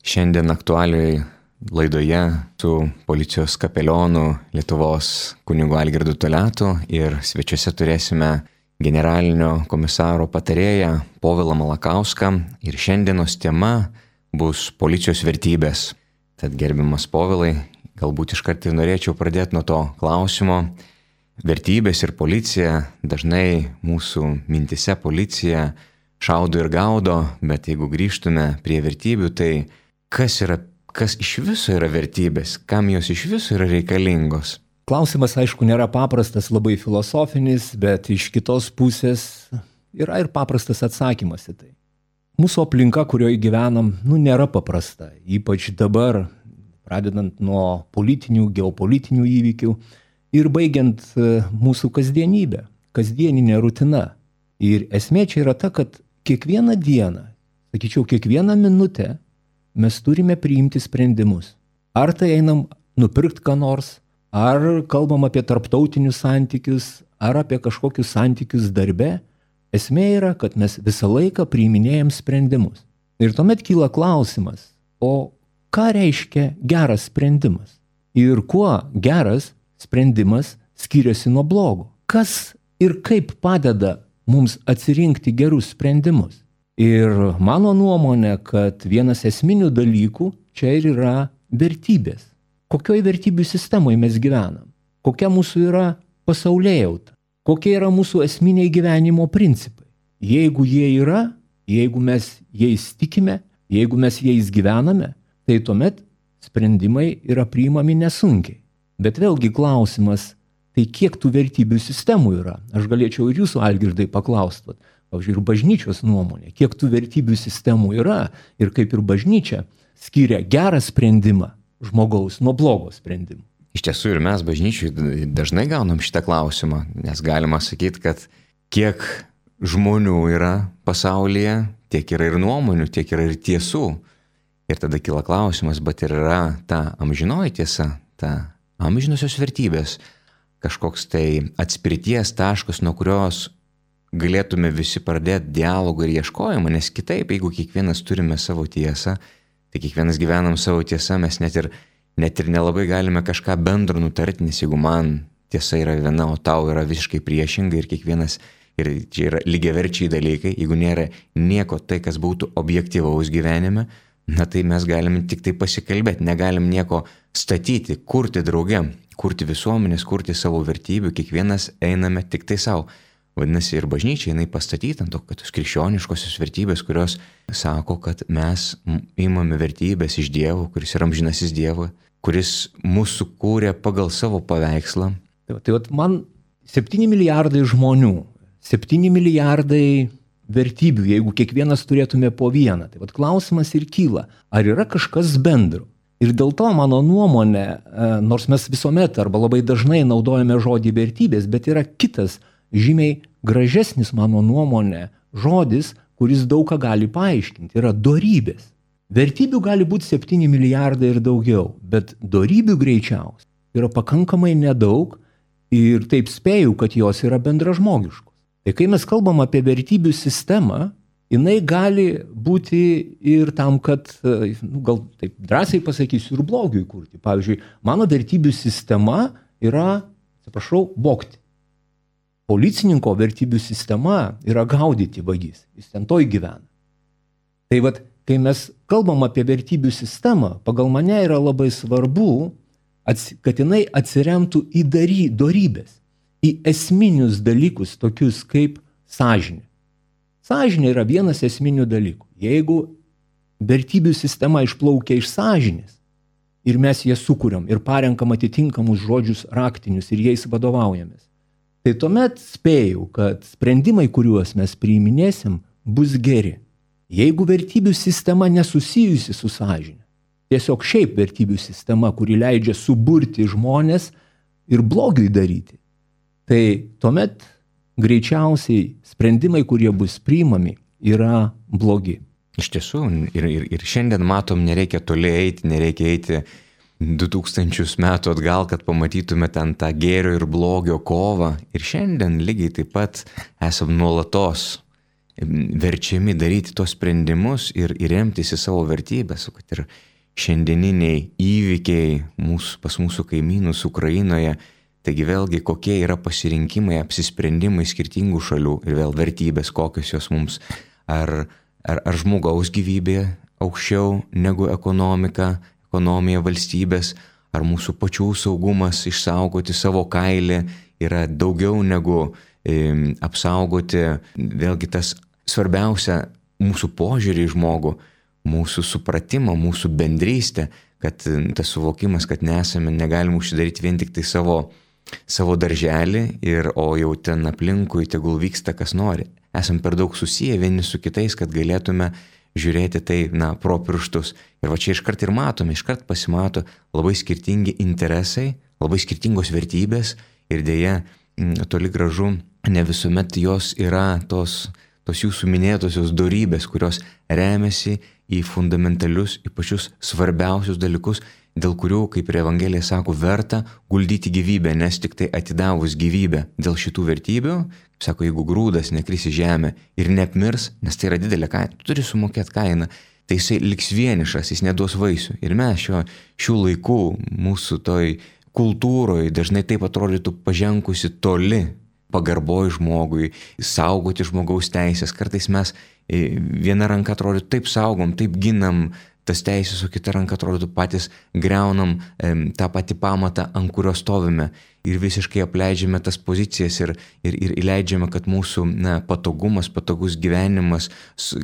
Šiandien aktualiai laidoje su policijos kapelionu Lietuvos kunigu Algirdu Toliatu ir svečiuose turėsime generalinio komisaro patarėją Povilą Malakauską ir šiandienos tema bus policijos vertybės. Tad gerbiamas Povilai, galbūt iškart ir norėčiau pradėti nuo to klausimo. Vertybės ir policija, dažnai mūsų mintise policija šaudo ir gaudo, bet jeigu grįžtume prie vertybių, tai kas iš viso yra vertybės, kam jos iš viso yra reikalingos? Klausimas, aišku, nėra paprastas, labai filosofinis, bet iš kitos pusės yra ir paprastas atsakymas į tai. Mūsų aplinka, kurioje gyvenam, nėra paprasta, ypač dabar, pradedant nuo politinių, geopolitinių įvykių ir baigiant mūsų kasdienybę, kasdieninė rutina. Ir esmė čia yra ta, kad kiekvieną dieną, sakyčiau, kiekvieną minutę mes turime priimti sprendimus. Ar tai einam nupirkti ką nors, ar kalbam apie tarptautinius santykius, ar apie kažkokius santykius darbe. Esmė yra, kad mes visą laiką priiminėjam sprendimus. Ir tuomet kyla klausimas, o ką reiškia geras sprendimas? Ir kuo geras sprendimas skiriasi nuo blogo? Kas ir kaip padeda mums atsirinkti gerus sprendimus? Ir mano nuomonė, kad vienas esminių dalykų čia ir yra vertybės. Kokioj vertybių sistemoje mes gyvenam? Kokia mūsų yra pasaulėjauta? Kokie yra mūsų esminiai gyvenimo principai? Jeigu jie yra, jeigu mes jais tikime, jeigu mes jais gyvename, tai tuomet sprendimai yra priimami nesunkiai. Bet vėlgi klausimas, tai kiek tų vertybių sistemų yra? Aš galėčiau ir jūsų, Algirdai, paklausti. Pavyzdžiui, ir bažnyčios nuomonė, kiek tų vertybių sistemų yra ir kaip ir bažnyčia skiria gerą sprendimą žmogaus nuo blogo sprendimo. Iš tiesų ir mes bažnyčiai dažnai gaunam šitą klausimą, nes galima sakyti, kad kiek žmonių yra pasaulyje, tiek yra ir nuomonių, tiek yra ir tiesų. Ir tada kyla klausimas, bet ir yra ta amžinoji tiesa, ta amžinosios vertybės, kažkoks tai atspirties taškas, nuo kurios galėtume visi pradėti dialogą ir ieškojimą, nes kitaip, jeigu kiekvienas turime savo tiesą, tai kiekvienas gyvenam savo tiesą, mes net ir nelabai galime kažką bendro nutarti, nes jeigu man tiesa yra viena, o tau yra visiškai priešinga ir kiekvienas, ir čia yra lygiaverčiai dalykai, jeigu nėra nieko tai, kas būtų objektyvaus gyvenime, na tai mes galime tik tai pasikalbėti, negalim nieko statyti, kurti drauge, kurti visuomenės, kurti savo vertybių, kiekvienas einame tik tai savo. Vadinasi, ir bažnyčia jinai pastatyta ant to, kad tos krikščioniškosios vertybės, kurios sako, kad mes imame vertybės iš Dievo, kuris yra amžinasis Dievo, kuris mūsų kūrė pagal savo paveikslą. Tai man 7 milijardai žmonių, 7 milijardai vertybių, jeigu kiekvienas turėtume po vieną. Tai klausimas ir kyla, ar yra kažkas bendro? Ir dėl to mano nuomonė, nors mes visuomet arba labai dažnai naudojame žodį vertybės, bet yra kitas žymiai gražesnis, mano nuomonė, žodis, kuris daug ką gali paaiškinti, yra dorybės. Vertybių gali būti 7 milijardai ir daugiau, bet dorybių greičiausiai yra pakankamai nedaug ir taip spėju, kad jos yra bendražmogiškos. Tai kai mes kalbam apie vertybių sistemą, jinai gali būti ir tam, kad, gal taip drąsiai pasakysiu, ir blogiui kurti. Pavyzdžiui, mano vertybių sistema yra, vogti. Policininko vertybių sistema yra gaudyti vagis, jis ten toj gyvena. Tai kai mes kalbam apie vertybių sistemą, pagal mane yra labai svarbu, kad jinai atsiremtų į dorybės, į esminius dalykus, tokius kaip sąžinė. Sąžinė yra vienas esminių dalykų. Jeigu vertybių sistema išplaukia iš sąžinės ir mes ją sukuriam ir parenkam atitinkamus žodžius raktinius ir jais vadovaujamės, tai tuomet spėjau, kad sprendimai, kuriuos mes priiminėsim, bus geri. Jeigu vertybių sistema nesusijusi su sąžine, tiesiog šiaip vertybių sistema, kuri leidžia suburti žmonės ir blogiui daryti, tai tuomet greičiausiai sprendimai, kurie bus priimami, yra blogi. Iš tiesų, ir šiandien matom, nereikia toli eiti, nereikia eiti 2000 metų atgal, kad pamatytume ten tą gėrio ir blogio kovą. Ir šiandien lygiai taip pat esam nuolatos verčiami daryti tos sprendimus ir remtis į savo vertybės, kad ir šiandieniniai įvykiai pas mūsų kaimynus Ukrainoje, taigi vėlgi kokie yra pasirinkimai, apsisprendimai skirtingų šalių ir vėl vertybės, kokios jos mums, ar žmogaus gyvybė aukščiau negu ekonomija valstybės, ar mūsų pačių saugumas išsaugoti savo kailį yra daugiau negu apsaugoti, vėlgi tas svarbiausia mūsų požiūrį į žmogų, mūsų supratimą, mūsų bendrystę, kad tas suvokimas, kad negalim užsidaryti vien tik tai savo darželį, o jau ten aplinkui tegul vyksta kas nori. Esam per daug susiję vieni su kitais, kad galėtume žiūrėti tai, pro pirštus. Ir va čia iškart ir matome, iškart pasimato labai skirtingi interesai, labai skirtingos vertybės ir dėja toli gražu ne visuomet jos yra tos jūsų minėtosios dorybės, kurios remiasi į fundamentalius, į pačius svarbiausius dalykus, dėl kurių, kaip ir Evangelija sako, verta guldyti gyvybę, nes tik tai atidavus gyvybę dėl šitų vertybių, kaip sako, jeigu grūdas nekris į žemę ir neapmirs, nes tai yra didelė kaina, tu turi sumokėti kainą, tai jisai liks vienišas, jis neduos vaisių. Ir mes šių laikų mūsų toj kultūroje dažnai taip atrodytų pažengusi toli pagarboj žmogui, saugoti žmogaus teisės. Kartais mes viena ranka atrodytų taip saugom, taip ginam tas teisės, o kita ranka atrodytų patys greunam tą patį pamatą, ant kurio stovime ir visiškai apleidžiame tas pozicijas ir leidžiame, kad mūsų patogumas, patogus gyvenimas,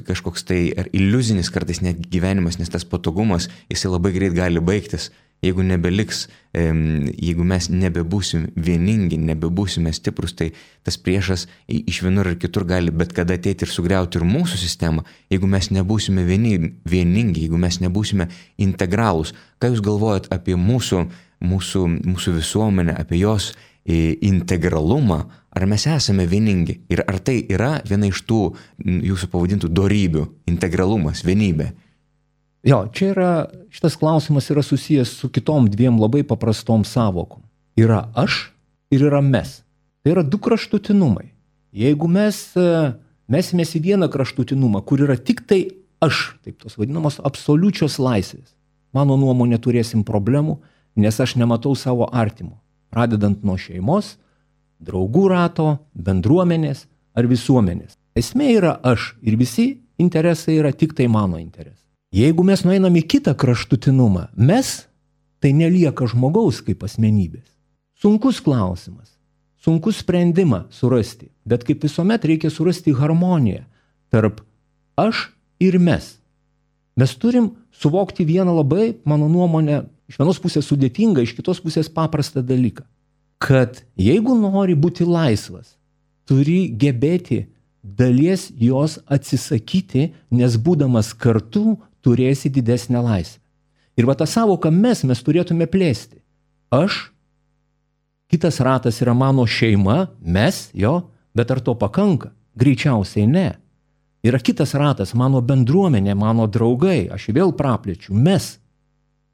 kažkoks tai ar iliuzinis kartais net gyvenimas, nes tas patogumas, jisai labai greit gali baigtis. Jeigu nebeliks, jeigu mes nebebūsim vieningi, nebebūsime stiprus, tai tas priešas iš vienur ir kitur gali bet kada ateiti ir sugriauti ir mūsų sistemą. Jeigu mes nebūsime vieningi, jeigu mes nebūsime integralūs. Ką jūs galvojat apie mūsų visuomenę, apie jos integralumą? Ar mes esame vieningi? Ir ar tai yra viena iš tų jūsų pavadintų dorybių, integralumas, vienybė? Jo, šitas klausimas yra susijęs su kitom dviem labai paprastom savokom. Yra aš ir yra mes. Tai yra du kraštutinumai. Jeigu mes mesimės į vieną kraštutinumą, kur yra tik tai aš, taip tos vadinamos absoliučios laisvės, mano nuomonė turėsim problemų, nes aš nematau savo artimo. Pradedant nuo šeimos, draugų rato, bendruomenės ar visuomenės. Esmė yra aš ir visi interesai yra tik tai mano interesai. Jeigu mes nueinam į kitą kraštutinumą, tai nelieka žmogaus kaip asmenybės. Sunkus klausimas, sunkus sprendimą surasti, bet kaip visuomet reikia surasti harmoniją tarp aš ir mes. Mes turim suvokti vieną labai, mano nuomonė, iš vienos pusės sudėtingą, iš kitos pusės paprastą dalyką, kad jeigu nori būti laisvas, turi gebėti dalies jos atsisakyti, nes būdamas kartu turėsi didesnę laisvę. Ir va tą savoką mes turėtume plėsti. Aš, kitas ratas yra mano šeima, bet ar to pakanka? Greičiausiai ne. Yra kitas ratas, mano bendruomenė, mano draugai, aš vėl praplėčiu, mes.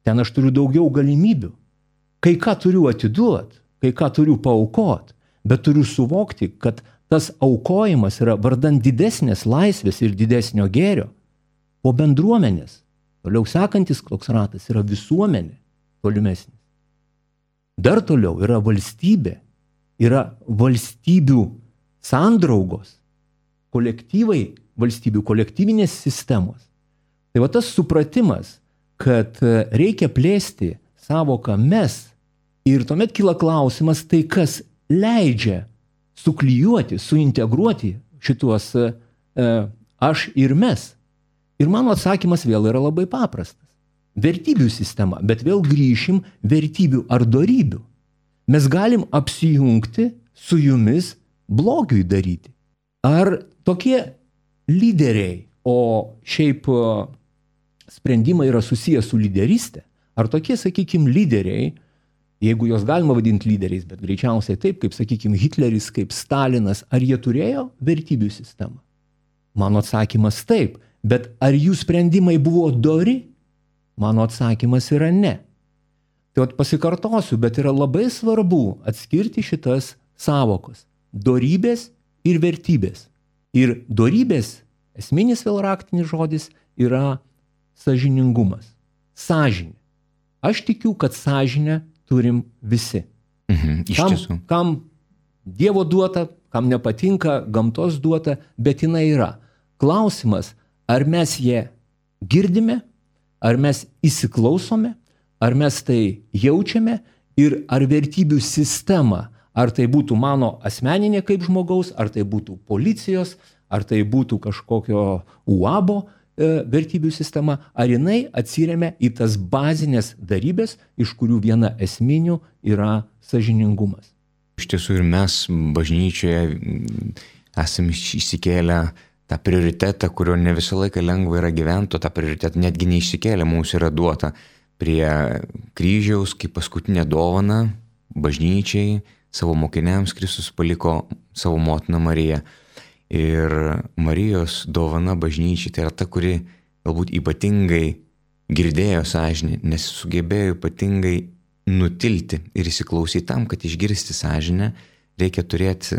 Ten aš turiu daugiau galimybių. Kai ką turiu atiduoti, kai ką turiu paaukoti, bet turiu suvokti, kad tas aukojimas yra vardan didesnės laisvės ir didesnio gėrio. Po bendruomenės, toliau sekantis toks ratas yra visuomenė, tolimesnis. Dar toliau yra valstybė, yra valstybių sandraugos, kolektyvai valstybių, kolektyvinės sistemos. Tai va tas supratimas, kad reikia plėsti savoką mes ir tuomet kyla klausimas, tai kas leidžia suklijuoti, suintegruoti šituos aš ir mes. Ir mano atsakymas vėl yra labai paprastas. Vertybių sistema, bet vėl grįšim vertybių ar dorybių. Mes galim apsijungti su jumis blogiui daryti. Ar tokie lyderiai, o šiaip sprendimai yra susijęs su lyderystė, ar tokie, sakykime, lyderiai, jeigu jos galima vadinti lyderiais, bet greičiausiai taip, kaip, sakykime, Hitleris, kaip Stalinas, ar jie turėjo vertybių sistemą? Mano atsakymas taip. Bet ar jų sprendimai buvo dori? Mano atsakymas yra ne. Tai pasikartosiu, bet yra labai svarbu atskirti šitas savokos. Dorybės ir vertybės. Ir dorybės, esminis vėl raktinis žodis yra sąžiningumas. Sąžinė. Aš tikiu, kad sąžinę turim visi. Iš tiesų. Kam Dievo duota, kam nepatinka, gamtos duota, bet jinai yra. Klausimas, ar mes ją girdime, ar mes įsiklausome, ar mes tai jaučiame ir ar vertybių sistema, ar tai būtų mano asmeninė kaip žmogaus, ar tai būtų policijos, ar tai būtų kažkokio UABO vertybių sistema, ar jinai atsiremia į tas bazinės darybės, iš kurių viena esminių yra sąžiningumas. Iš tiesų ir mes bažnyčioje esame išsikėlę tą prioritetą, kurio ne visą laiką lengva yra gyventi, tą prioritetą netgi neišsikėlę, mums yra duota prie kryžiaus, kaip paskutinė dovana bažnyčiai, savo mokiniams Kristus paliko savo motiną Mariją. Ir Marijos dovana bažnyčiai tai yra ta, kuri galbūt ypatingai girdėjo sąžinę, nes sugebėjo ypatingai nutilti ir įsiklausyti tam, kad išgirsti sąžinę, reikia turėti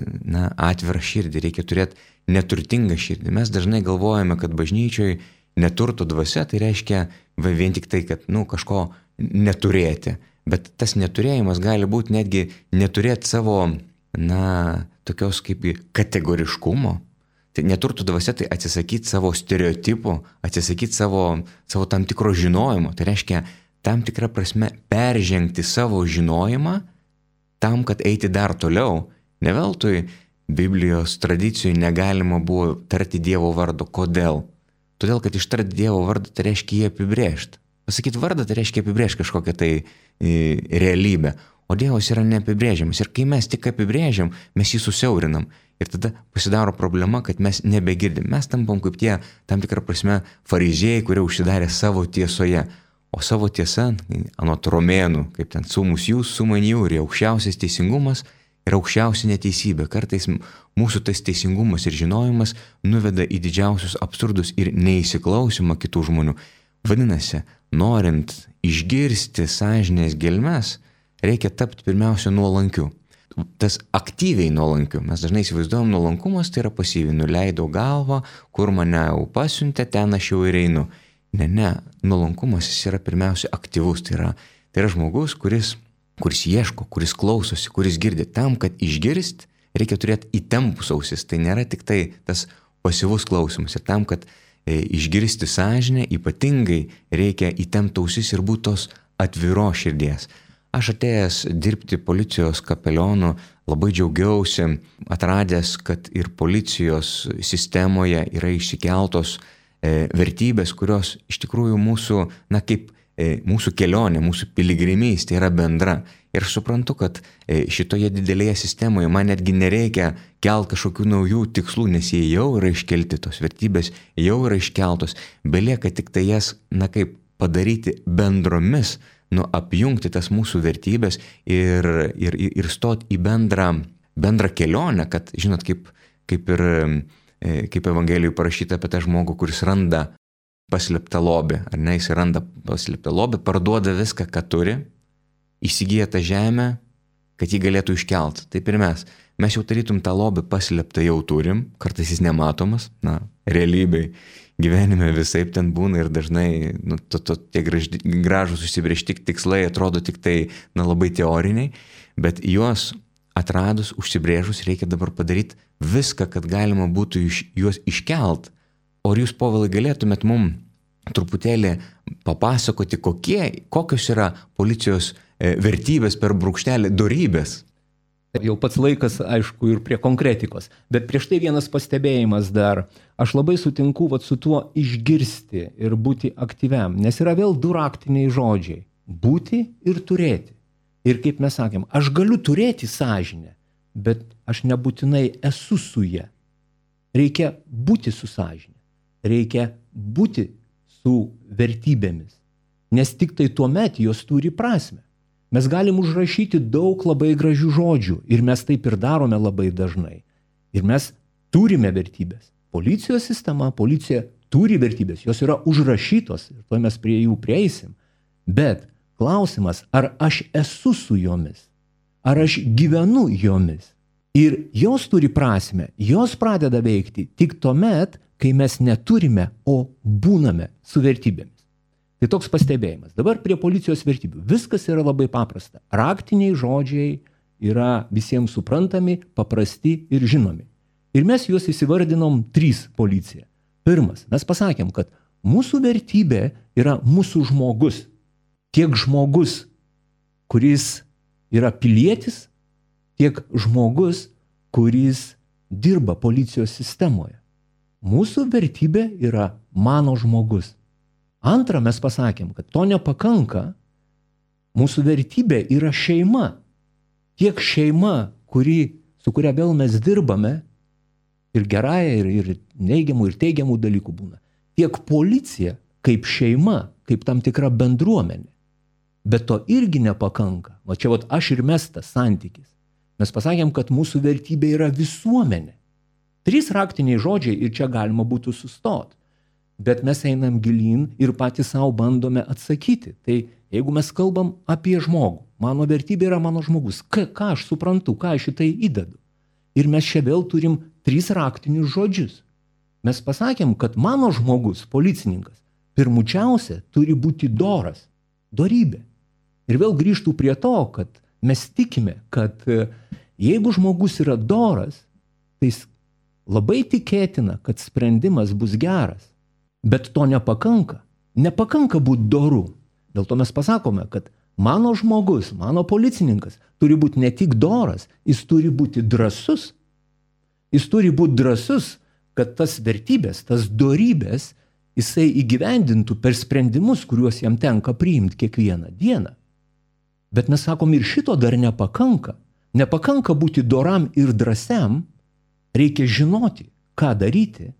atvirą širdį, reikia turėti neturtingą širdį. Mes dažnai galvojame, kad bažnyčioje neturto dvasia, tai reiškia vien tik tai, kad kažko neturėti. Bet tas neturėjimas gali būti netgi neturėti savo, tokios kaip kategoriškumo. Tai neturto dvasia tai atsisakyti savo stereotipų, atsisakyti savo tam tikro žinojimo. Tai reiškia tam tikrą prasme peržengti savo žinojimą tam, kad eiti dar toliau. Ne veltui Biblijos tradicijoje negalima buvo tarti Dievo vardo. Kodėl? Todėl, kad ištarti Dievo vardą tai reiškia jį apibrėžti. Pasakyti vardą tai reiškia apibrėžti kažkokią tai realybę. O Dievas yra neapibrėžiamas. Ir kai mes tik apibrėžiam, mes jį susiaurinam. Ir tada pasidaro problema, kad mes nebegirdim. Mes tampam kaip tie, tam tikrą prasme, fariziejai, kurie užsidarė savo tiesoje. O savo tiesa, anot romėnų, kaip ten sumus jūs, suman jų, ir aukščiausias teisingumas ir aukščiausia neteisybė. Kartais mūsų tas teisingumas ir žinojimas nuveda į didžiausius absurdus ir neįsiklausimą kitų žmonių. Vadinasi, norint išgirsti sąžinės gelmes, reikia tapti pirmiausia nuolankiu. Tas aktyviai nuolankiu. Mes dažnai įsivaizduojam, nuolankumas tai yra pasyviai. Nuleidau galvą, kur mane jau pasiuntė, ten aš jau ir einu. Ne, nuolankumas jis yra pirmiausia aktyvus, tai yra žmogus, kuris ieško, kuris klausosi, kuris girdi. Tam, kad išgirst, reikia turėti įtempus ausis, tai nėra tik tai tas pasyvus klausimas. Ir tam, kad išgirsti sąžinę, ypatingai reikia įtempti ausis ir būti tos atviros širdies. Aš atėjęs dirbti policijos kapelionu labai džiaugiausi, atradęs, kad ir policijos sistemoje yra išsikeltos vertybės, kurios iš tikrųjų mūsų, kaip mūsų kelionė, mūsų piligrimystė yra bendra. Ir suprantu, kad šitoje didelėje sistemoje man netgi nereikia kelti kažkokių naujų tikslų, nes jie jau yra iškelti, tos vertybės jau yra iškeltos. Belieka tik tai jas, kaip padaryti bendromis, apjungti tas mūsų vertybės ir stoti į bendrą kelionę, kad, žinot, kaip Evangelijoje parašyta apie tą žmogų, kuris randa paslėptą lobį, ar ne, jis randa paslėptą lobį, parduoda viską, ką turi, įsigyja tą žemę, kad jį galėtų iškelt. Taip ir mes jau tarytum tą lobį paslėptą jau turim, kartais jis nematomas, realybėj gyvenime visaip ten būna ir dažnai tie gražūs užsibrėžti tikslai atrodo tik tai labai teoriniai, bet juos atradus, užsibrėžus, reikia dabar padaryti viską, kad galima būtų juos iškelt. O jūs, Povilai, galėtumėt mum truputėlį papasakoti, kokios yra policijos vertybės per brūkštelį dorybės? Jau pats laikas, aišku, ir prie konkretikos. Bet prieš tai vienas pastebėjimas dar. Aš labai sutinku su tuo išgirsti ir būti aktyviam, nes yra vėl du raktiniai žodžiai. Būti ir turėti. Ir kaip mes sakėm, aš galiu turėti sąžinę, bet aš nebūtinai esu su ja. Reikia būti su sąžinė. Reikia būti su vertybėmis. Nes tik tai tuomet jos turi prasmę. Mes galim užrašyti daug labai gražių žodžių ir mes taip ir darome labai dažnai. Ir mes turime vertybės. Policijos sistema, policija turi vertybės, jos yra užrašytos ir to mes prie jų prieisim. Bet klausimas, ar aš esu su jomis, ar aš gyvenu jomis. Ir jos turi prasme, jos pradeda veikti tik tuomet, kai mes neturime, o būname su vertybėmis. Tai toks pastebėjimas. Dabar prie policijos vertybių. Viskas yra labai paprasta. Raktiniai žodžiai yra visiems suprantami, paprasti ir žinomi. Ir mes juos įsivardinom 3 policija. Pirmas, mes pasakėm, kad mūsų vertybė yra mūsų žmogus. Tiek žmogus, kuris yra pilietis, tiek žmogus, kuris dirba policijos sistemoje. Mūsų vertybė yra mano žmogus. Antra, mes pasakėm, kad to nepakanka. Mūsų vertybė yra šeima. Tiek šeima, su kuria vėl mes dirbame, ir gerąją, ir neigiamų, ir teigiamų dalykų būna. Tiek policija, kaip šeima, kaip tam tikra bendruomenė. Bet to irgi nepakanka. O čia aš ir mes tas santykis. Mes pasakėm, kad mūsų vertybė yra visuomenė. 3 raktiniai žodžiai ir čia galima būtų sustoti. Bet mes einam gilyn ir patys savo bandome atsakyti. Tai jeigu mes kalbam apie žmogų, mano vertybė yra mano žmogus, ką aš suprantu, ką aš į tai įdedu. Ir mes čia vėl turim 3 raktinius žodžius. Mes pasakėm, kad mano žmogus, policininkas, pirmučiausia turi būti doras, dorybė. Ir vėl grįžtų prie to, kad mes tikime, kad jeigu žmogus yra doras, tai labai tikėtina, kad sprendimas bus geras. Bet to nepakanka. Nepakanka būti doru. Dėl to mes pasakome, kad mano žmogus, mano policininkas turi būti ne tik doras, jis turi būti drąsus. Jis turi būti drąsus, kad tas vertybės, tas dorybės jisai įgyvendintų per sprendimus, kuriuos jam tenka priimti kiekvieną dieną. Bet mes sakom, ir šito dar nepakanka. Nepakanka būti doram ir drąsiam, reikia žinoti, ką daryti,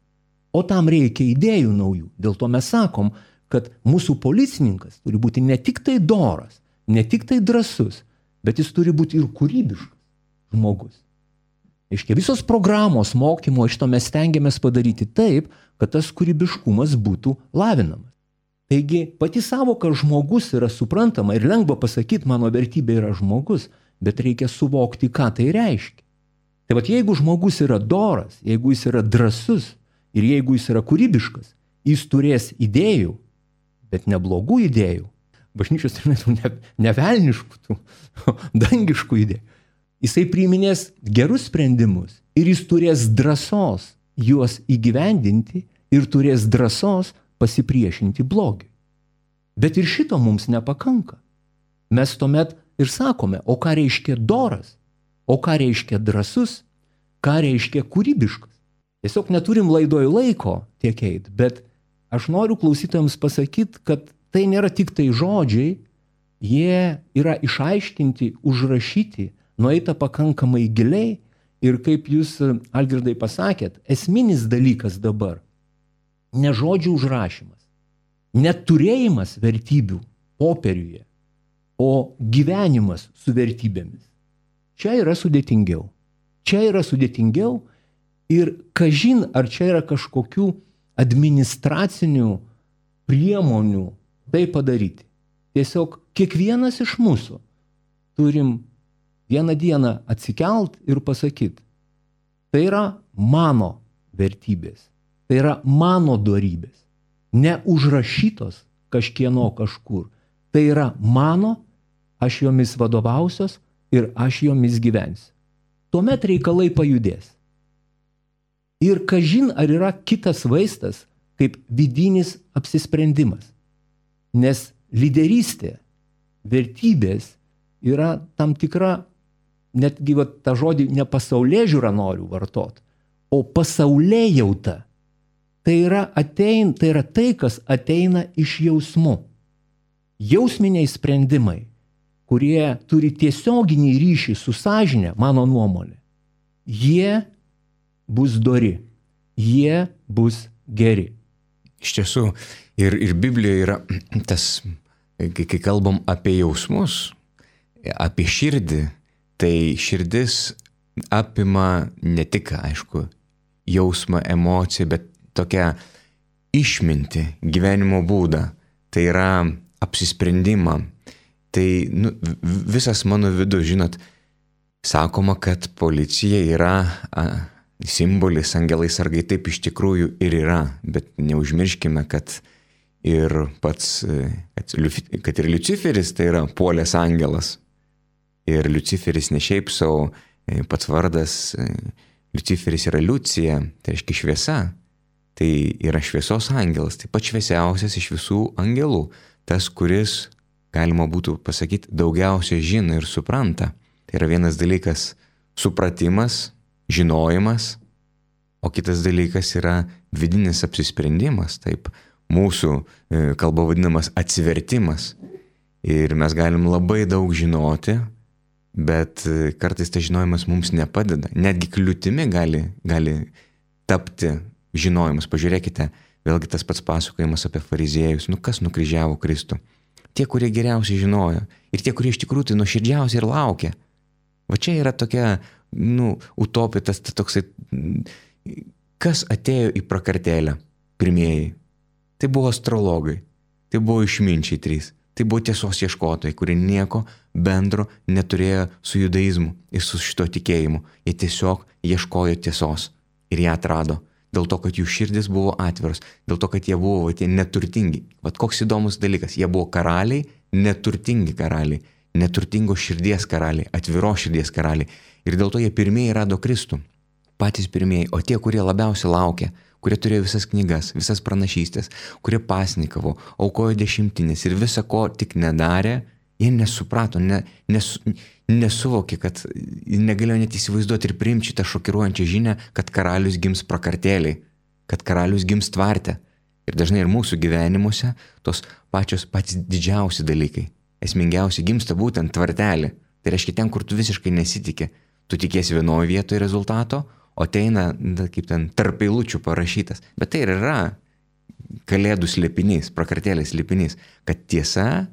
o tam reikia idėjų naujų. Dėl to mes sakom, kad mūsų policininkas turi būti ne tik tai doras, ne tik tai drąsus, bet jis turi būti ir kūrybiškas žmogus. Reiškia, visos programos mokymo iš to mes stengiamės padaryti taip, kad tas kūrybiškumas būtų lavinamas. Taigi, pati savoka žmogus yra suprantama ir lengva pasakyti, mano vertybė yra žmogus, bet reikia suvokti, ką tai reiškia. Tai jeigu žmogus yra doras, jeigu jis yra drąsus ir jeigu jis yra kūrybiškas, jis turės idėjų, bet neblogų idėjų. Bažnyčios ne velniškų, dangiškų idėjų. Jisai priiminės gerus sprendimus ir jis turės drąsos juos įgyvendinti ir turės drąsos pasipriešinti blogiui. Bet ir šito mums nepakanka. Mes tuomet ir sakome, o ką reiškia doras, o ką reiškia drąsus, ką reiškia kūrybiškas. Tiesiog neturim laidoj laiko tiek eit, bet aš noriu klausytojams pasakyti, kad tai nėra tik tai žodžiai, jie yra išaiškinti, užrašyti, nueita pakankamai giliai ir kaip jūs, Algirdai, pasakėt, esminis dalykas dabar ne žodžių užrašymas, neturėjimas vertybių popieriuje, o gyvenimas su vertybėmis. Čia yra sudėtingiau. Čia yra sudėtingiau ir kažin, ar čia yra kažkokių administracinių priemonių tai padaryti. Tiesiog kiekvienas iš mūsų turim vieną dieną atsikelt ir pasakyti, tai yra mano vertybės, tai yra mano dorybės, neužrašytos kažkieno kažkur. Tai yra mano, aš jomis vadovausios ir aš jomis gyvensiu. Tuomet reikalai pajudės. Ir kažin, ar yra kitas vaistas, kaip vidinis apsisprendimas. Nes lyderystė, vertybės yra tam tikra, netgi tą žodį ne pasaulėžiūrą noriu vartot, o pasaulėjauta. Tai yra tai, kas ateina iš jausmų. Jausminiai sprendimai, kurie turi tiesioginį ryšį su sąžine, mano nuomonė, jie bus dori, jie bus geri. Iš tiesų, ir Biblijoje yra tas, kai kalbam apie jausmus, apie širdį, tai širdis apima ne tik, aišku, jausmą, emociją, bet tokią išmintį, gyvenimo būdą. Tai yra apsisprendimą. Tai visas mano vidus, žinot, Sakoma, kad policija yra simbolis, angelai sargai, taip iš tikrųjų ir yra, bet neužmirškime, kad ir pats, kad ir Liuciferis tai yra puolęs angelas. Ir Liuciferis ne šiaip savo, pats vardas Liuciferis yra Liucija, tai reiškia šviesa. Tai yra šviesos angelas, taip pat šviesiausias iš visų angelų. Tas, kuris, galima būtų pasakyti, daugiausiai žino ir supranta. Tai yra vienas dalykas supratimas, žinojimas, o kitas dalykas yra vidinis apsisprendimas, taip mūsų kalba vadinamas atsivertimas. Ir mes galim labai daug žinoti, bet kartais tas žinojimas mums nepadeda. Netgi kliūtimi gali tapti žinojimas. Pažiūrėkite, vėlgi tas pats pasakojimas apie fariziejus. Kas nukryžiavo Kristų? Tie, kurie geriausiai žinojo. Ir tie, kurie iš tikrųjų tai nuoširdžiausiai ir laukė. Va čia yra tokia, utopija, tas toksai, kas atėjo į prakartėlę pirmieji. Tai buvo astrologai, tai buvo išminčiai 3, tai buvo tiesos ieškotojai, kurie nieko bendro neturėjo su judaizmu ir su šito tikėjimu. Jie tiesiog ieškojo tiesos ir ją atrado. Dėl to, kad jų širdis buvo atviros, dėl to, kad jie buvo tie neturtingi. Vat koks įdomus dalykas, jie buvo karaliai, neturtingi karaliai, neturtingos širdies karaliai, atviros širdies karaliai. Ir dėl to jie pirmieji rado Kristų, patys pirmieji, o tie, kurie labiausiai laukė, kurie turėjo visas knygas, visas pranašystės, kurie pasnikavo, aukojo dešimtinės ir visą ko tik nedarė, jie nesuprato, nesuvokė, kad negalėjo net įsivaizduoti ir priimti šitą šokiruojančią žinią, kad karalius gims prakartėliai, kad karalius gims tvarte. Ir dažnai ir mūsų gyvenimuose tos patys didžiausi dalykai, esmingiausi gimsta būtent tvartelį. Tai reiškia ten, kur tu visiškai nesitikė, tu tikiesi vienoje vietoje rezultato, o ateina, kaip ten, tarp eilučių parašytas. Bet tai ir yra kalėdų slėpinys, prakartėlės slėpinys, kad tiesa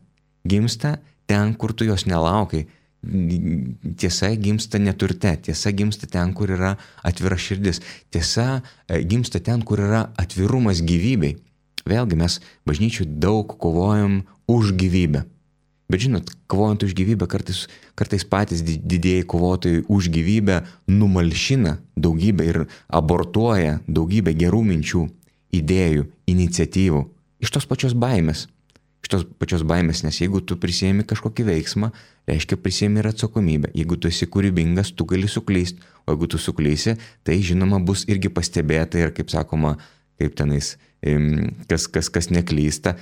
gimsta ten, kur tu jos nelaukai. Tiesa gimsta neturte, tiesa gimsta ten, kur yra atvira širdis. Tiesa gimsta ten, kur yra atvirumas gyvybei. Vėlgi mes bažnyčių daug kovojam už gyvybę. Bet žinot, kovojant už gyvybę, kartais patys didieji kovotojai už gyvybę numalšina daugybę ir abortuoja daugybę gerų minčių, idėjų, iniciatyvų. Iš tos pačios baimės. Nes jeigu tu prisiemi kažkokį veiksmą, reiškia prisiemi ir atsakomybę. Jeigu tu esi kūrybingas, tu gali suklysti, o jeigu tu suklysi, tai žinoma bus irgi pastebėta ir, kaip sakoma, kaip tenais, kas neklysta,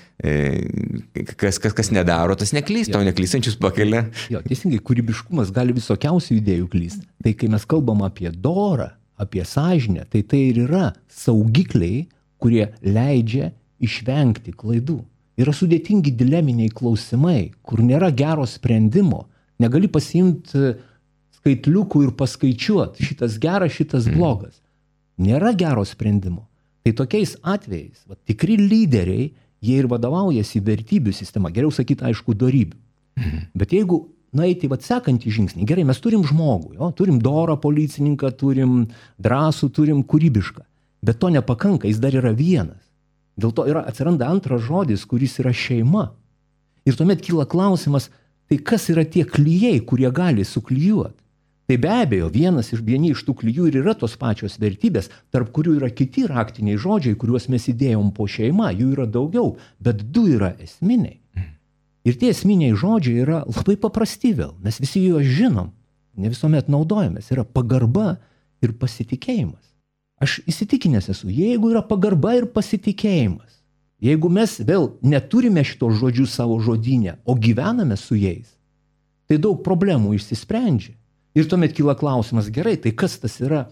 kas nedaro, tas neklysta, o neklystančius pakelia. Jo, teisingai, kūrybiškumas gali visokiausių idėjų klysti. Tai kai mes kalbam apie dorą, apie sąžinę, tai ir yra saugikliai, kurie leidžia išvengti klaidų. Yra sudėtingi dileminiai klausimai, kur nėra gero sprendimo. Negali pasiimti skaitliukų ir paskaičiuoti, šitas geras, šitas blogas. Nėra gero sprendimo. Tai tokiais atvejais, tikri lyderiai, jie ir vadovaujasi vertybių sistema, geriau sakyti, aišku, dorybių. Bet jeigu nueiti sekantį žingsnį, gerai, mes turim žmogų, turim dorą policininką, turim drąsų, turim kūrybišką, bet to nepakanka, jis dar yra vienas. Dėl to atsiranda antras žodis, kuris yra šeima. Ir tuomet kyla klausimas, tai kas yra tie klijai, kurie gali suklijuoti? Tai be abejo, vieni iš tų klijų ir yra tos pačios vertybės, tarp kurių yra kiti raktiniai žodžiai, kuriuos mes įdėjom po šeima, jų yra daugiau, bet 2 yra esminiai. Ir tie esminiai žodžiai yra labai paprasti vėl, mes visi juos žinom, ne visuomet naudojamės, yra pagarba ir pasitikėjimas. Aš įsitikinęs esu, jeigu yra pagarba ir pasitikėjimas, jeigu mes vėl neturime šitos žodžius savo žodyne, o gyvename su jais, tai daug problemų išsisprendžia. Ir tuomet kyla klausimas, gerai, tai kas tas yra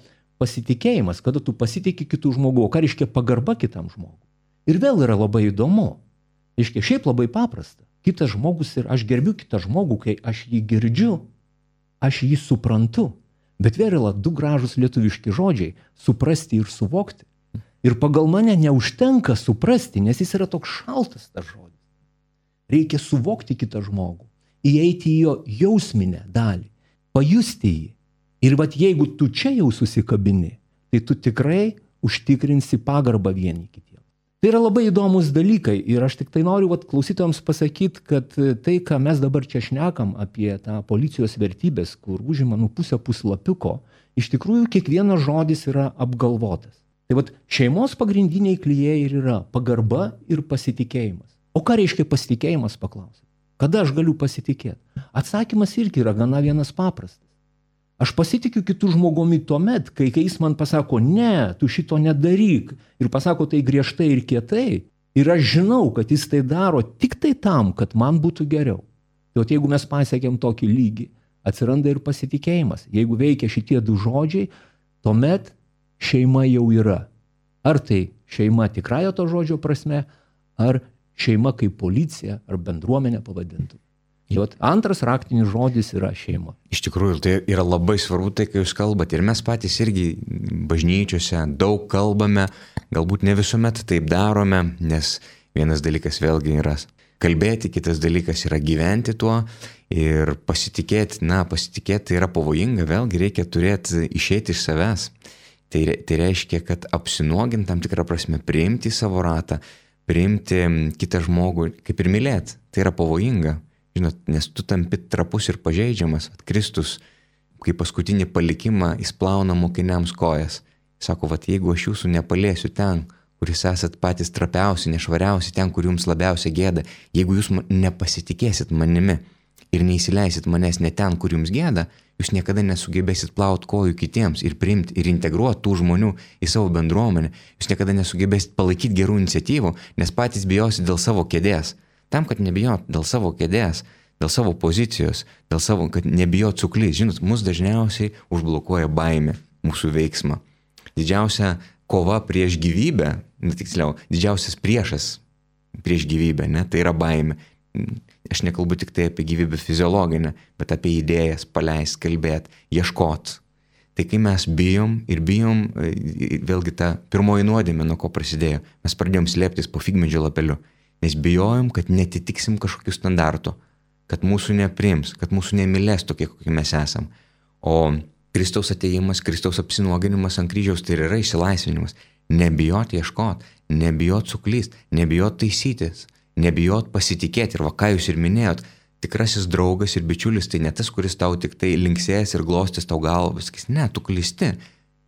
pasitikėjimas, kada tu pasitiki kitų žmogų, o ką reiškia pagarba kitam žmogui. Ir vėl yra labai įdomu, reiškia šiaip labai paprasta. Kitas žmogus ir aš gerbiu kitą žmogų, kai aš jį girdžiu, aš jį suprantu. Bet vėl yra 2 gražūs lietuviški žodžiai – suprasti ir suvokti. Ir pagal mane neužtenka suprasti, nes jis yra toks šaltas tas žodis. Reikia suvokti kitą žmogų, įeiti į jo jausminę dalį, pajusti jį. Ir jeigu tu čia jau susikabini, tai tu tikrai užtikrinsi pagarbą vieni kitiems. Tai yra labai įdomus dalykai ir aš tik tai noriu klausytojams pasakyti, kad tai, ką mes dabar čia šnekam apie tą policijos vertybės, kur užima pusę puslapiuko, iš tikrųjų kiekvienas žodis yra apgalvotas. Tai šeimos pagrindiniai klijai ir yra pagarba ir pasitikėjimas. O ką reiškia pasitikėjimas, paklausė? Kada aš galiu pasitikėti? Atsakymas irgi yra gana vienas paprastas. Aš pasitikiu kitų žmogumi tuomet, kai jis man pasako, ne, tu šito nedaryk, ir pasako tai griežtai ir kietai, ir aš žinau, kad jis tai daro tik tai tam, kad man būtų geriau. Tai jeigu mes pasiekėm tokį lygį, atsiranda ir pasitikėjimas. Jeigu veikia šitie du žodžiai, tuomet šeima jau yra. Ar tai šeima tikrąja to žodžio prasme, ar šeima kaip policija, ar bendruomenė pavadintų. Antras raktinis žodis yra šeima. Iš tikrųjų, tai yra labai svarbu tai, kai jūs kalbate. Ir mes patys irgi bažnyčiose daug kalbame, galbūt ne visuomet taip darome, nes vienas dalykas vėlgi yra kalbėti, kitas dalykas yra gyventi tuo ir pasitikėti tai yra pavojinga, vėlgi reikia turėti išeiti iš savęs. Tai reiškia, kad apsinuogint tam tikrą prasme, priimti savo ratą, priimti kitą žmogų, kaip ir mylėti. Tai yra pavojinga. Žinot, nes tu tampi trapus ir pažeidžiamas. Kristus, kai paskutinį palikimą, jis plauna mokiniams kojas. Sako, jeigu aš jūsų nepaliesiu ten, kur jūs esat patys trapiausi, nešvariausi, ten, kur jums labiausiai gėda, jeigu jūs nepasitikėsit manimi ir neįsileisit manęs ne ten, kur jums gėda, jūs niekada nesugebėsit plauti kojų kitiems ir priimti ir integruoti tų žmonių į savo bendruomenę. Jūs niekada nesugebėsit palaikyti gerų iniciatyvų, nes patys bijosit dėl savo kėdės. Tam, kad nebijot dėl savo kėdės, dėl savo pozicijos, kad nebijot suklys. Žinot, mus dažniausiai užblokuoja baimė, mūsų veiksmą. Didžiausia kova prieš gyvybę, tiksliau, didžiausias priešas prieš gyvybę, tai yra baimė. Aš nekalbu tik tai apie gyvybę fiziologinę, bet apie idėjas, paleist, kalbėt, ieškot. Tai kai mes bijom, vėlgi ta pirmoji nuodėmė, nuo ko prasidėjo, mes pradėjom slėptis po figmedžio lapeliu. Nes bijojom, kad netitiksim kažkokių standartų, kad mūsų nepriims, kad mūsų nemylės tokie, kokie mes esam. O Kristaus atėjimas, Kristaus apsinuoginimas ant kryžiaus tai yra išsilaisvinimas. Nebijot ieškot, nebijot suklyst, nebijot taisytis, nebijot pasitikėti. Ir ką jūs ir minėjot, tikrasis draugas ir bičiulis tai ne tas, kuris tau tik tai linksės ir glostys tau galvą, sakys, ne, tu klysti,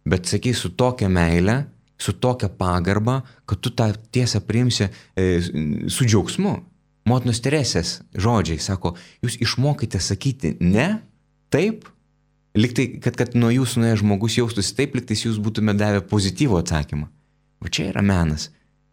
bet sakys su tokia meile, su tokia pagarba, kad tu tą tiesą priimsi su džiaugsmu. Motinos Teresės žodžiai sako, jūs išmokite sakyti ne, taip, liktai, kad nuo jūsų nuėjęs žmogus jaustųsi taip, liktai jūs būtume davę pozityvų atsakymą. O čia yra menas.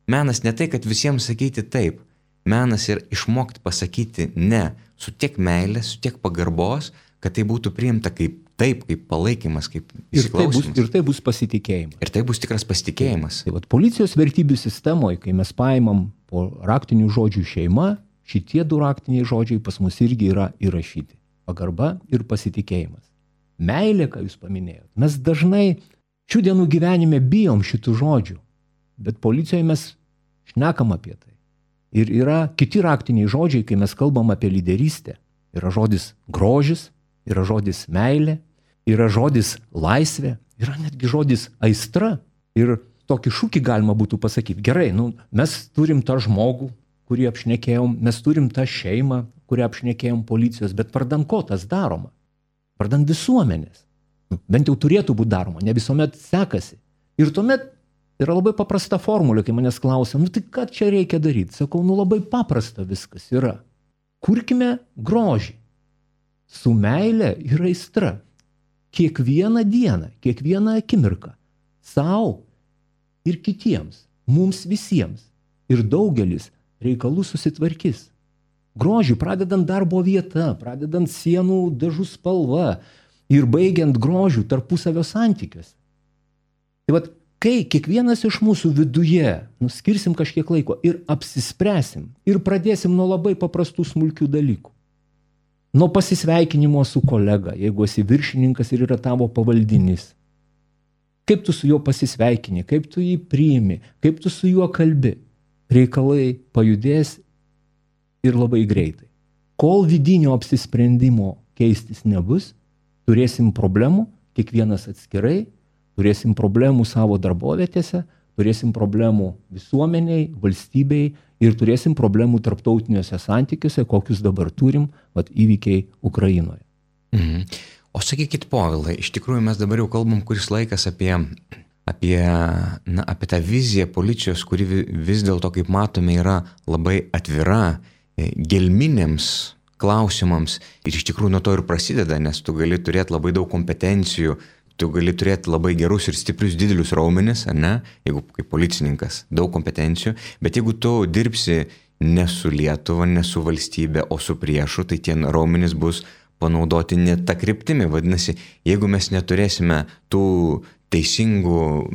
Menas ne tai, kad visiems sakyti taip. Menas yra išmokti pasakyti ne, su tiek meilės, su tiek pagarbos, kad tai būtų priimta kaip taip, kaip palaikymas, kaip įsiklausymas. Ir tai bus pasitikėjimas. Ir tai bus tikras pasitikėjimas. Tai policijos vertybių sistemoje, kai mes paimam po raktinių žodžių šeima, šitie du raktiniai žodžiai pas mus irgi yra įrašyti. Pagarba ir pasitikėjimas. Meilė, ką jūs paminėjot. Mes dažnai šių dienų gyvenime bijom šitų žodžių, bet policijoje mes šnekam apie tai. Ir yra kiti raktiniai žodžiai, kai mes kalbam apie lyderystę. Yra žodis grožis, yra žodis meilė, yra žodis laisvė, yra netgi žodis aistra. Ir tokį šūkį galima būtų pasakyti. Gerai, mes turim tą žmogų, kurį apšnekėjom, mes turim tą šeimą, kurią apšnekėjom policijos, bet vardan ko tas daroma? Vardan visuomenės. Bent jau turėtų būti daroma, ne visuomet sekasi. Ir tuomet yra labai paprasta formulė, kai manęs klausia, tai ką čia reikia daryti? Sakau, labai paprasta viskas yra. Kurkime grožį. Su meilė ir aistra. Kiekvieną dieną, kiekvieną akimirką. Sau ir kitiems. Mums visiems. Ir daugelis reikalų susitvarkys. Grožį pradedant darbo vietą, pradedant sienų dažų spalva ir baigiant grožių tarpusavio santykiuose. Tai kai kiekvienas iš mūsų viduje skirsim kažkiek laiko ir apsispręsim ir pradėsim nuo labai paprastų smulkių dalykų. Nuo pasisveikinimo su kolega, jeigu esi viršininkas ir yra tavo pavaldinys. Kaip tu su juo pasisveikini, kaip tu jį priimi, kaip tu su juo kalbi. Reikalai pajudės ir labai greitai. Kol vidinio apsisprendimo keistis nebus, turėsim problemų, kiekvienas atskirai, turėsim problemų savo darbovietėse, turėsim problemų visuomeniai, valstybei ir turėsim problemų tarptautiniuose santykiuose, kokius dabar turim, įvykiai Ukrainoje. Mhm. O sakykit, Povilai, iš tikrųjų mes dabar jau kalbam kuris laikas apie tą viziją policijos, kuri vis dėlto, kaip matome, yra labai atvira gelminėms klausimams ir iš tikrųjų nuo to ir prasideda, nes tu gali turėti labai daug kompetencijų, tu gali turėti labai gerus ir stiprius didelius raumenis, ar ne, jeigu kaip policininkas, daug kompetencijų, bet jeigu tu dirbsi ne su Lietuva, ne su valstybė, o su priešu, tai tie raumenis bus panaudoti ne tą kryptimį. Vadinasi, jeigu mes neturėsime tų teisingų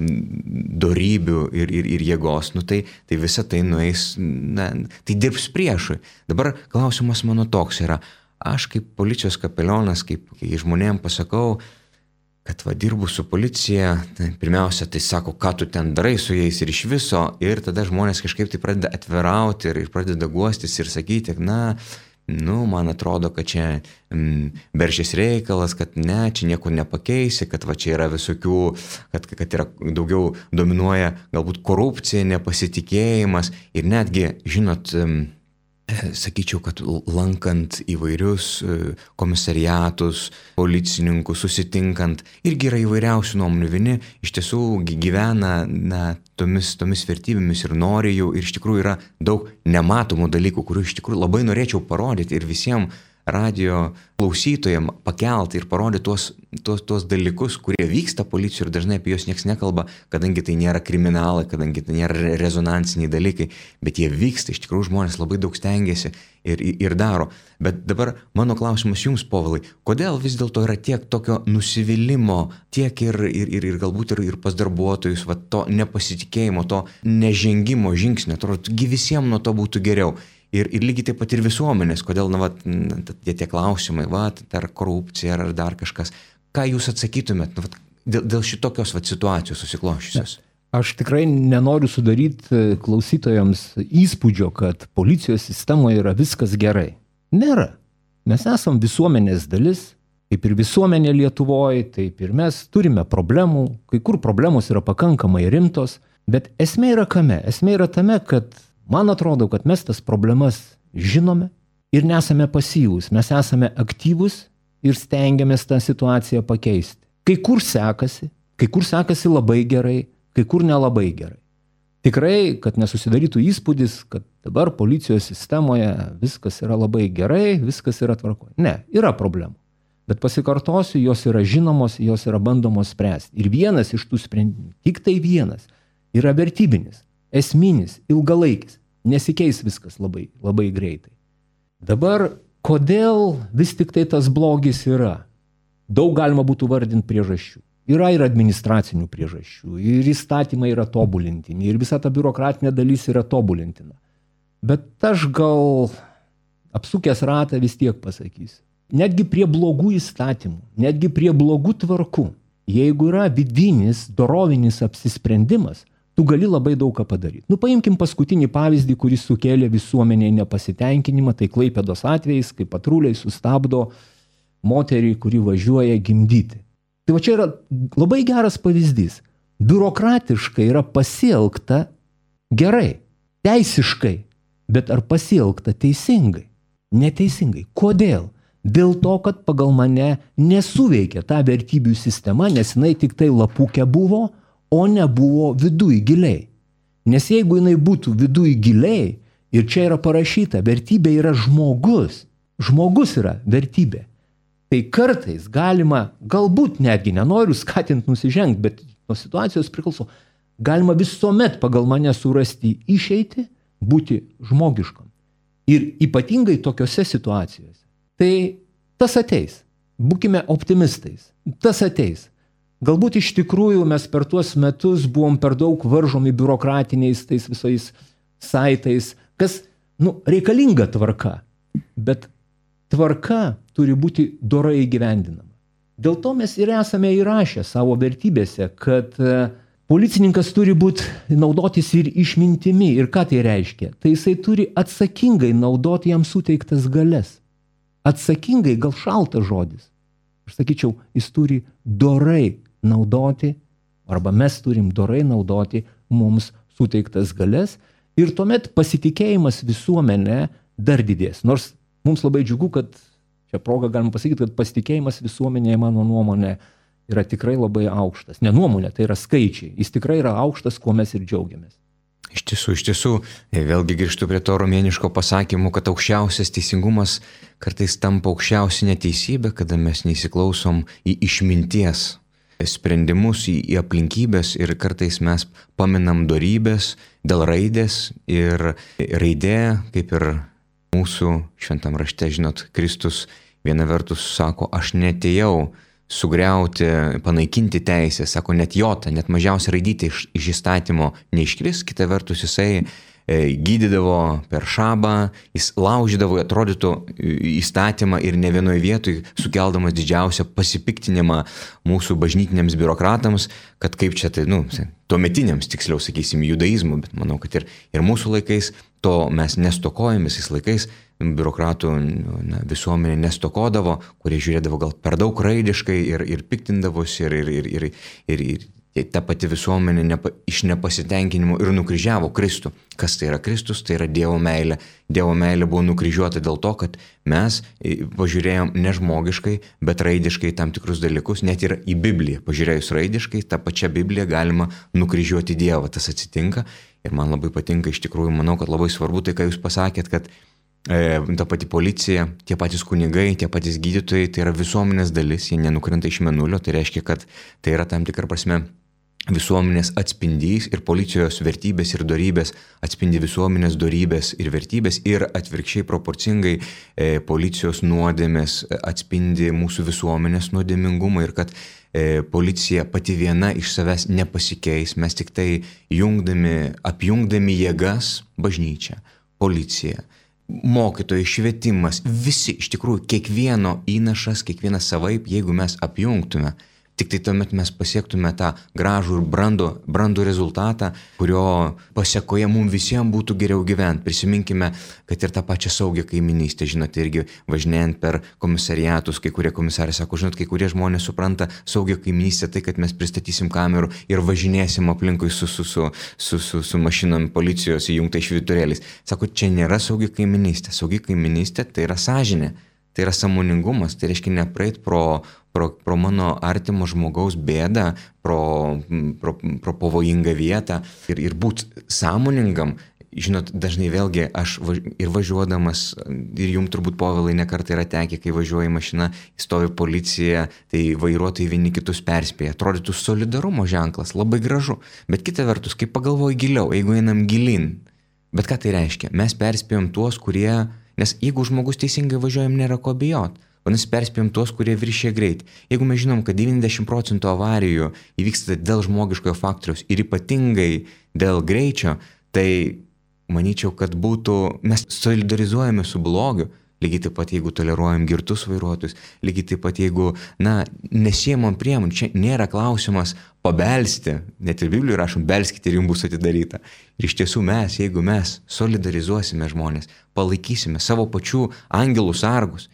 dorybių ir jėgos, tai visa tai nueis, tai dirbs priešui. Dabar klausimas mano toks yra, aš kaip policijos kapelionas, kai žmonėm pasakau, kad dirbu su policija, tai pirmiausia, tai sako, ką tu ten darai su jais ir iš viso, ir tada žmonės kažkaip tai pradeda atvirauti ir pradeda guostis ir sakyti, man atrodo, kad čia beršės reikalas, kad ne, čia nieko nepakeisi, kad čia yra visokių, kad yra daugiau dominuoja galbūt korupcija, nepasitikėjimas ir netgi, žinot, sakyčiau, kad lankant įvairius komisariatus, policininkus, susitinkant, irgi yra įvairiausių nuomonių. Vieni iš tiesų gyvena tomis vertybėmis ir nori jų, ir iš tikrųjų yra daug nematomų dalykų, kurių iš tikrųjų labai norėčiau parodyti ir visiems radio klausytojams pakelti ir parodyti tuos dalykus, kurie vyksta policijoje ir dažnai apie juos niekas nekalba, kadangi tai nėra kriminalai, kadangi tai nėra rezonansiniai dalykai, bet jie vyksta, iš tikrųjų žmonės labai daug stengiasi ir daro. Bet dabar mano klausimas jums, Povilai, kodėl vis dėlto yra tiek tokio nusivylimo, tiek ir galbūt ir pas darbuotojus, to nepasitikėjimo, to nežengimo žingsnio, atrodo, visiems nuo to būtų geriau. Ir lygiai taip pat ir visuomenės, kodėl tie klausimai, ar korupcija, ar dar kažkas. Ką jūs atsakytumėt dėl šitokios situacijos susikloščiusios? Aš tikrai nenoriu sudaryti klausytojams įspūdžio, kad policijos sistemoje yra viskas gerai. Nėra. Mes esam visuomenės dalis, kaip ir visuomenė Lietuvoje, taip ir mes turime problemų, kai kur problemos yra pakankamai rimtos, bet esmė yra kame? Esmė yra tame, kad man atrodo, kad mes tas problemas žinome ir nesame pasyvūs, mes esame aktyvūs ir stengiamės tą situaciją pakeisti. Kai kur sekasi labai gerai, kai kur nelabai gerai. Tikrai, kad nesusidarytų įspūdis, kad dabar policijos sistemoje viskas yra labai gerai, viskas yra tvarkoje. Ne, yra problemų. Bet pasikartosiu, jos yra žinomos, jos yra bandomos spręsti. Ir vienas iš tų sprendimų, tik tai vienas, yra vertybinis. Esminis, ilgalaikis, nesikeis viskas labai, labai greitai. Dabar, kodėl vis tik tai tas blogis yra? Daug galima būtų vardinti priežasčių. Yra ir administracinių priežasčių, ir įstatymai yra tobulintini, ir visa ta biurokratinė dalis yra tobulintina. Bet aš gal apsukęs ratą vis tiek pasakysiu. Netgi prie blogų įstatymų, netgi prie blogų tvarkų, jeigu yra vidinis, dorovinis apsisprendimas, tu gali labai daug ką padaryti. Paimkim paskutinį pavyzdį, kuris sukėlė visuomenėje nepasitenkinimą, tai Klaipėdos atvejais, kai patruliai sustabdo moterį, kuri važiuoja gimdyti. Tai čia yra labai geras pavyzdys. Biurokratiškai yra pasielgta gerai, teisiškai, bet ar pasielgta teisingai? Neteisingai. Kodėl? Dėl to, kad pagal mane nesuveikia ta vertybių sistema, nes jinai tik tai lapukė buvo, o nebuvo viduj giliai. Nes jeigu jinai būtų viduj giliai, ir čia yra parašyta, vertybė yra žmogus. Žmogus yra vertybė. Tai kartais galima, galbūt netgi nenoriu skatinti nusižengti, bet nuo situacijos priklauso, galima visuomet pagal mane surasti išeitį, būti žmogiškam. Ir ypatingai tokiose situacijose. Tai tas ateis. Būkime optimistais. Tas ateis. Galbūt iš tikrųjų mes per tuos metus buvom per daug varžomi biurokratiniais tais visais saitais, kas, reikalinga tvarka, bet tvarka turi būti dorai įgyvendinama. Dėl to mes ir esame įrašę savo vertybėse, kad policininkas turi naudotis ir išmintimi. Ir ką tai reiškia? Tai jisai turi atsakingai naudoti jam suteiktas galias. Atsakingai, gal šaltas žodis. Aš sakyčiau, jis turi dorai naudoti, arba mes turim dorai naudoti mums suteiktas galias ir tuomet pasitikėjimas visuomenė dar didės. Nors mums labai džiugu, kad čia proga galima pasakyti, kad pasitikėjimas visuomenėje, mano nuomonė, yra tikrai labai aukštas. Ne nuomonė, tai yra skaičiai. Jis tikrai yra aukštas, kuo mes ir džiaugiamės. Iš tiesų, vėlgi grįžtu prie to romėniško pasakymo, kad aukščiausias teisingumas kartais tampa aukščiausia neteisybė, kada mes neįsiklausom į išminties sprendimus, į aplinkybės ir kartais mes paminam dorybės dėl raidės ir raidė, kaip ir mūsų šventam rašte, žinot, Kristus viena vertus sako, aš neatėjau sugriauti, panaikinti teisę, sako, net jota, net mažiausia raidytė iš įstatymo neiškris, kita vertus jisai gydydavo per šabą, jis laužydavo, atrodytų, įstatymą ir ne vienoje vietoje sukeldamas didžiausią pasipiktinimą mūsų bažnytiniams biurokratams, kad kaip čia tai, tuometiniams, tiksliau sakysim, judaizmų, bet manau, kad ir mūsų laikais to mes nestokojame, visais laikais biurokratų visuomenė nestokodavo, kurie žiūrėdavo gal per daug raidiškai ir piktindavosi ir ta pati visuomenė iš nepasitenkinimo ir nukryžiavo Kristų. Kas tai yra Kristus? Tai yra Dievo meilė. Dievo meilė buvo nukryžiuota dėl to, kad mes pažiūrėjom ne žmogiškai, bet raidiškai tam tikrus dalykus, net ir į Bibliją. Pažiūrėjus raidiškai, tą pačią Bibliją galima nukryžiuoti Dievą. Tas atsitinka ir man labai patinka, iš tikrųjų, manau, kad labai svarbu tai, ką jūs pasakėt, kad ta pati policija, tie patys kunigai, tie patys gydytojai, tai yra visuomenės dalis, jie nenukrenta iš mėnulio, tai reiškia, kad tai yra tam tikra prasme visuomenės atspindys ir policijos vertybės ir dorybės atspindi visuomenės dorybės ir vertybės ir atvirkščiai proporcingai policijos nuodėmės atspindi mūsų visuomenės nuodėmingumą ir kad policija pati viena iš savęs nepasikeis, mes tik tai apjungdami jėgas bažnyčią, policiją, mokytojai, švietimas, visi iš tikrųjų kiekvieno įnašas, kiekvienas savaip, jeigu mes apjungtume, tik tai tuomet mes pasiektume tą gražų ir brandų rezultatą, kurio pasiekoje mums visiems būtų geriau gyventi. Prisiminkime, kad ir tą pačią saugią kaiminystę, žinote, irgi važinėjant per komisariatus, kai kurie komisarai sako, žinot, kai kurie žmonės supranta saugią kaiminystę, tai kad mes pristatysim kamerų ir važinėsim aplinkui su mašinom policijos įjungtai švyturėliais. Sako, čia nėra saugi kaiminystė. Saugi kaiminystė tai yra sąžinė, tai yra sąmoningumas, tai reiškia nepraeit pro mano artimo žmogaus bėdą, pro pavojingą vietą ir būti sąmoningam. Žinot, dažnai vėlgi aš ir važiuodamas, ir jums turbūt, Povilai, nekartą yra tekę, kai važiuoja mašina, stovi policija, tai vairuotojai vieni kitus perspėja. Atrodytų solidarumo ženklas, labai gražu. Bet kita vertus, kai pagalvoju giliau, jeigu einam gilin, bet ką tai reiškia? Mes perspėjom tuos, kurie, nes jeigu žmogus teisingai važiuojam, nėra ko bijot. Vadinasi, perspėjom tuos, kurie viršė greitį. Jeigu mes žinom, kad 90% avarijų įvyksta dėl žmogiškojo faktoriaus ir ypatingai dėl greičio, tai manyčiau, kad mes solidarizuojame su blogiu. Lygiai taip pat, jeigu toleruojam girtus vairuotojus, lygiai taip pat, jeigu, nesiemam priemonių, čia nėra klausimas pabelsti, net ir Biblijoje rašom, belskite ir jums bus atidaryta. Ir iš tiesų jeigu mes solidarizuosime žmonės, palaikysime savo pačių angelų sargus.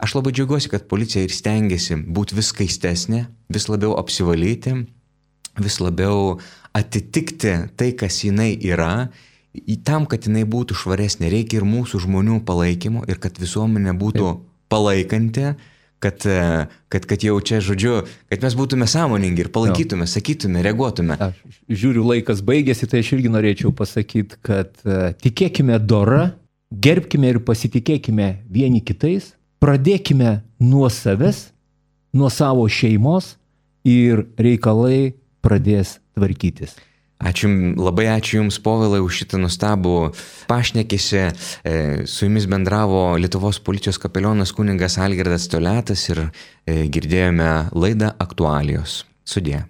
Aš labai džiaugiuosi, kad policija ir stengiasi būti vis skaistesnė, vis labiau apsivalyti, vis labiau atitikti tai, kas jinai yra. Tam, kad jinai būtų švaresnė, reikia ir mūsų žmonių palaikymo ir kad visuomenė būtų palaikanti, kad jau čia, žodžiu, kad mes būtume sąmoningi ir palaikytume, sakytume, reaguotume. Aš žiūriu, laikas baigėsi, tai aš irgi norėčiau pasakyti, kad tikėkime dora, gerbkime ir pasitikėkime vieni kitais, pradėkime nuo savęs, nuo savo šeimos ir reikalai pradės tvarkytis. Labai ačiū Jums, Povilai, už šitą nustabų pašnekesį. Su Jumis bendravo Lietuvos policijos kapelionas kunigas Algirdas Toliatas ir girdėjome laidą Aktualijos. Sudie.